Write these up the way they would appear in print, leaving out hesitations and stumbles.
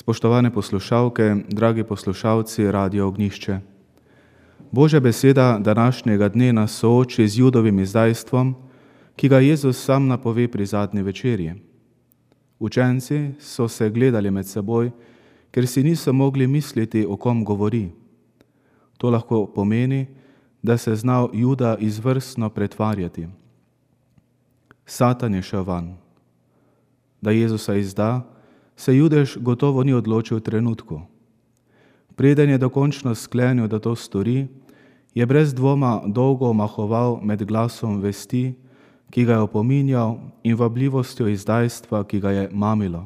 Spoštovane poslušalke, dragi poslušalci Radia Ognjišče. Božja beseda današnjega dne nas sooči z Judovim izdajstvom, ki ga Jezus sam napove pri zadnji večerji. Učenci so se gledali med seboj, ker si niso mogli misliti, o kom govori. To lahko pomeni, da se znal Juda izvrstno pretvarjati. Satan je šel van. Da Jezusa izda, se Judež gotovo ni odločil v trenutku. Preden je dokončno sklenil, da to stori, je brez dvoma dolgo omahoval med glasom vesti, ki ga je opominjal, in vabljivostjo izdajstva, ki ga je mamilo.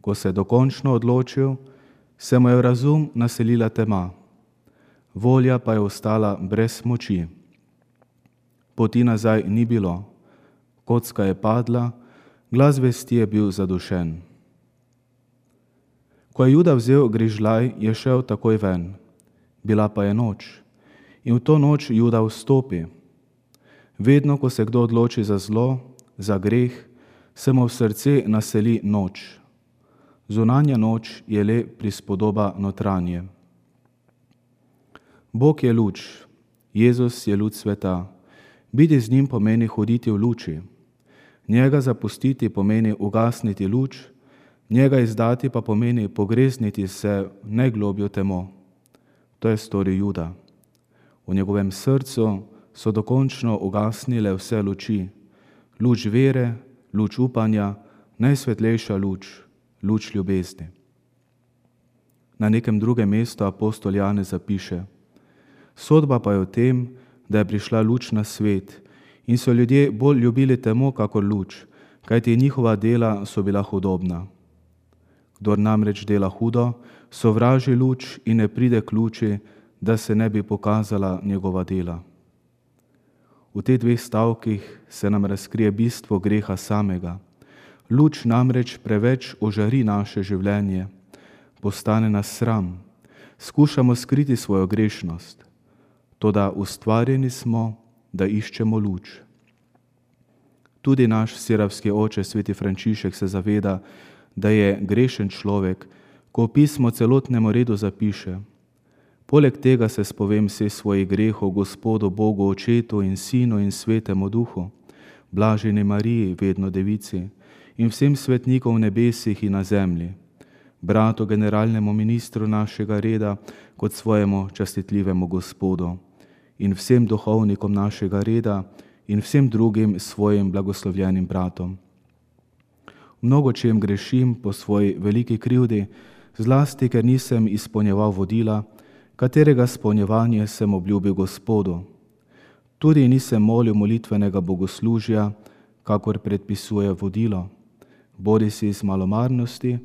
Ko se je dokončno odločil, se mu je v razum naselila tema, volja pa je ostala brez moči. Poti nazaj ni bilo, kocka je padla, glas vesti je bil zadušen. Ko je Juda vzel grižljaj, je šel takoj ven. Bila pa je noč. In v to noč Juda vstopi. Vedno, ko se kdo odloči za zlo, za greh, se mu v srce naseli noč. Zunanja noč je le prispodoba notranje. Bog je luč, Jezus je luč sveta. Biti z njim pomeni hoditi v luči. Njega zapustiti pomeni ugasniti luč, njega izdati pa pomeni pogrezniti se v najglobjo temo. To je storil Juda. V njegovem srcu so dokončno ugasnile vse luči. Luč vere, luč upanja, najsvetlejša luč, luč ljubezni. Na nekem drugem mestu apostol Janez zapiše: sodba pa je v tem, da je prišla luč na svet in so ljudje bolj ljubili temo kakor luč, kajti njihova dela so bila hudobna. Kdor namreč dela hudo, sovraži luč in ne pride k luči, da se ne bi pokazala njegova dela. V teh dveh stavkih se nam razkrije bistvo greha samega. Luč namreč preveč ožari naše življenje, postane nas sram, skušamo skriti svojo grešnost. Toda ustvarjeni smo, da iščemo luč. Tudi naš siravski oče, sveti Frančišek, se zaveda, da je grešen človek, ko v pismo celotnemu redu zapiše: poleg tega se spovem vseh svojih grehov Gospodu Bogu Očetu in Sinu in Svetemu Duhu, blaženi Mariji, vedno devici, in vsem svetnikom v nebesih in na zemlji, bratu generalnemu ministru našega reda kot svojemu častitljivemu Gospodu, in vsem duhovnikom našega reda in vsem drugim svojim blagoslovljenim bratom. Mnogo čem grešim po svoji veliki krivdi, zlasti ker nisem izpolnjeval vodila, katerega izpolnjevanje sem obljubil Gospodu. Tudi nisem molil molitvenega bogoslužja, kakor predpisuje vodilo, bodisi iz malomarnosti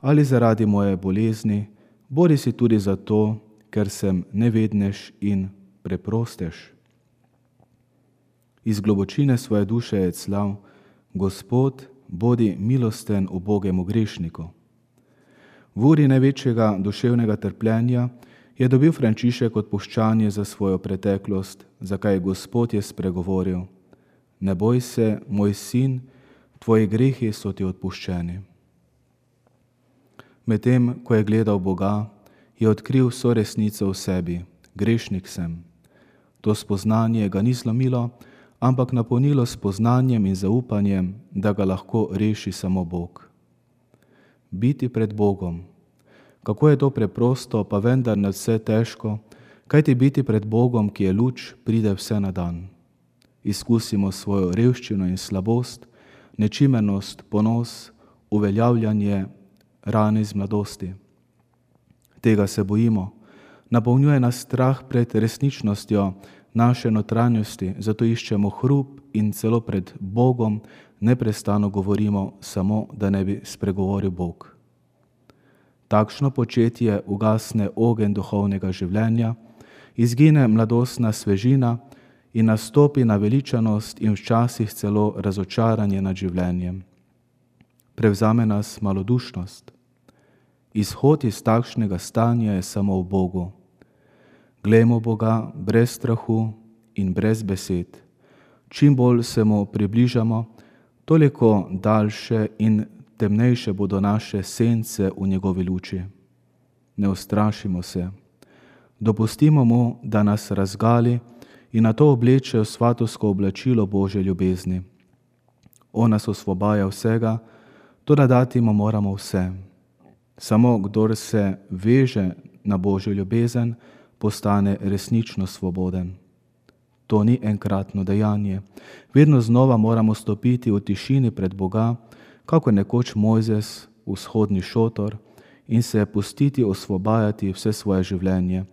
ali zaradi moje bolezni, bodisi tudi zato, ker sem nevednež in preprostež. Iz globočine svoje duše je clav: Gospod, bodi milosten ubogemu grešniku. V uri največjega duševnega trpljenja je dobil Frančišek odpuščanje za svojo preteklost, zakaj Gospod je spregovoril: ne boj se, moj sin, tvoji grehi so ti odpuščeni. Medtem, ko je gledal Boga, je odkril vso resnico v sebi: grešnik sem. To spoznanje ga ni zlomilo, ampak napolnilo spoznanjem in zaupanjem, da ga lahko reši samo Bog. Biti pred Bogom. Kako je to preprosto, pa vendar nadvse težko, kajti biti pred Bogom, ki je luč, pride vse na dan. Izkusimo svojo revščino in slabost, nečimernost, ponos, uveljavljanje, rane iz mladosti. Tega se bojimo. Napolnjuje nas strah pred resničnostjo naše notranjosti, zato iščemo hrup in celo pred Bogom neprestano govorimo, samo da ne bi spregovoril Bog. Takšno početje ugasne ogenj duhovnega življenja, izgine mladostna svežina in nastopi naveličanost in včasih celo razočaranje nad življenjem. Prevzame nas malodušnost. Izhod iz takšnega stanja je samo v Bogu. Glejmo Boga brez strahu in brez besed. Čim bolj se mu približamo, toliko daljše in temnejše bodo naše sence v njegovi luči. Ne ustrašimo se. Dopustimo mu, da nas razgali in na to obleče v svatovsko oblačilo Božje ljubezni. On nas osvobaja vsega, toda dati mu moramo vse. Samo kdor se veže na Božjo ljubezen, postane resnično svoboden. To ni enkratno dejanje. Vedno znova moramo stopiti v tišini pred Boga, kako nekoč Mojzes v vzhodni šotor, in se pustiti osvobajati vse svoje življenje,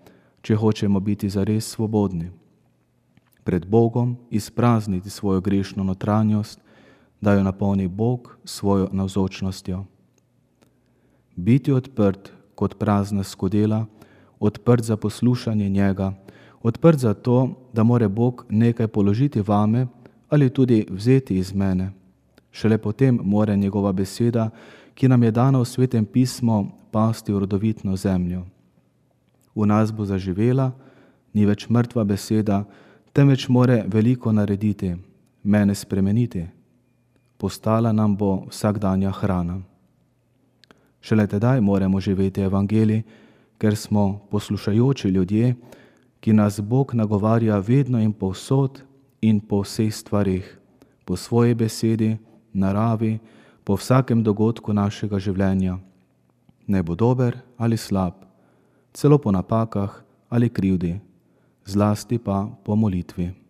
če hočemo biti zares svobodni. Pred Bogom izprazniti svojo grešno notranjost, da jo napolni Bog svojo navzočnostjo. Biti odprt kot prazna skodela, odprt za poslušanje njega, odprt za to, da more Bog nekaj položiti vame ali tudi vzeti iz mene. Šele potem more njegova beseda, ki nam je dana v Svetem pismu, pasti v rodovitno zemljo. V nas bo zaživela, ni več mrtva beseda, temveč more veliko narediti, mene spremeniti. Postala nam bo vsakdanja hrana. Šele tedaj moremo živeti evangelij, ker smo poslušajoči ljudje, ki nas Bog nagovarja vedno in povsod in po vseh stvarih, po svoji besedi, naravi, po vsakem dogodku našega življenja. Ne bo dober ali slab, celo po napakah ali krivdi, zlasti pa po molitvi.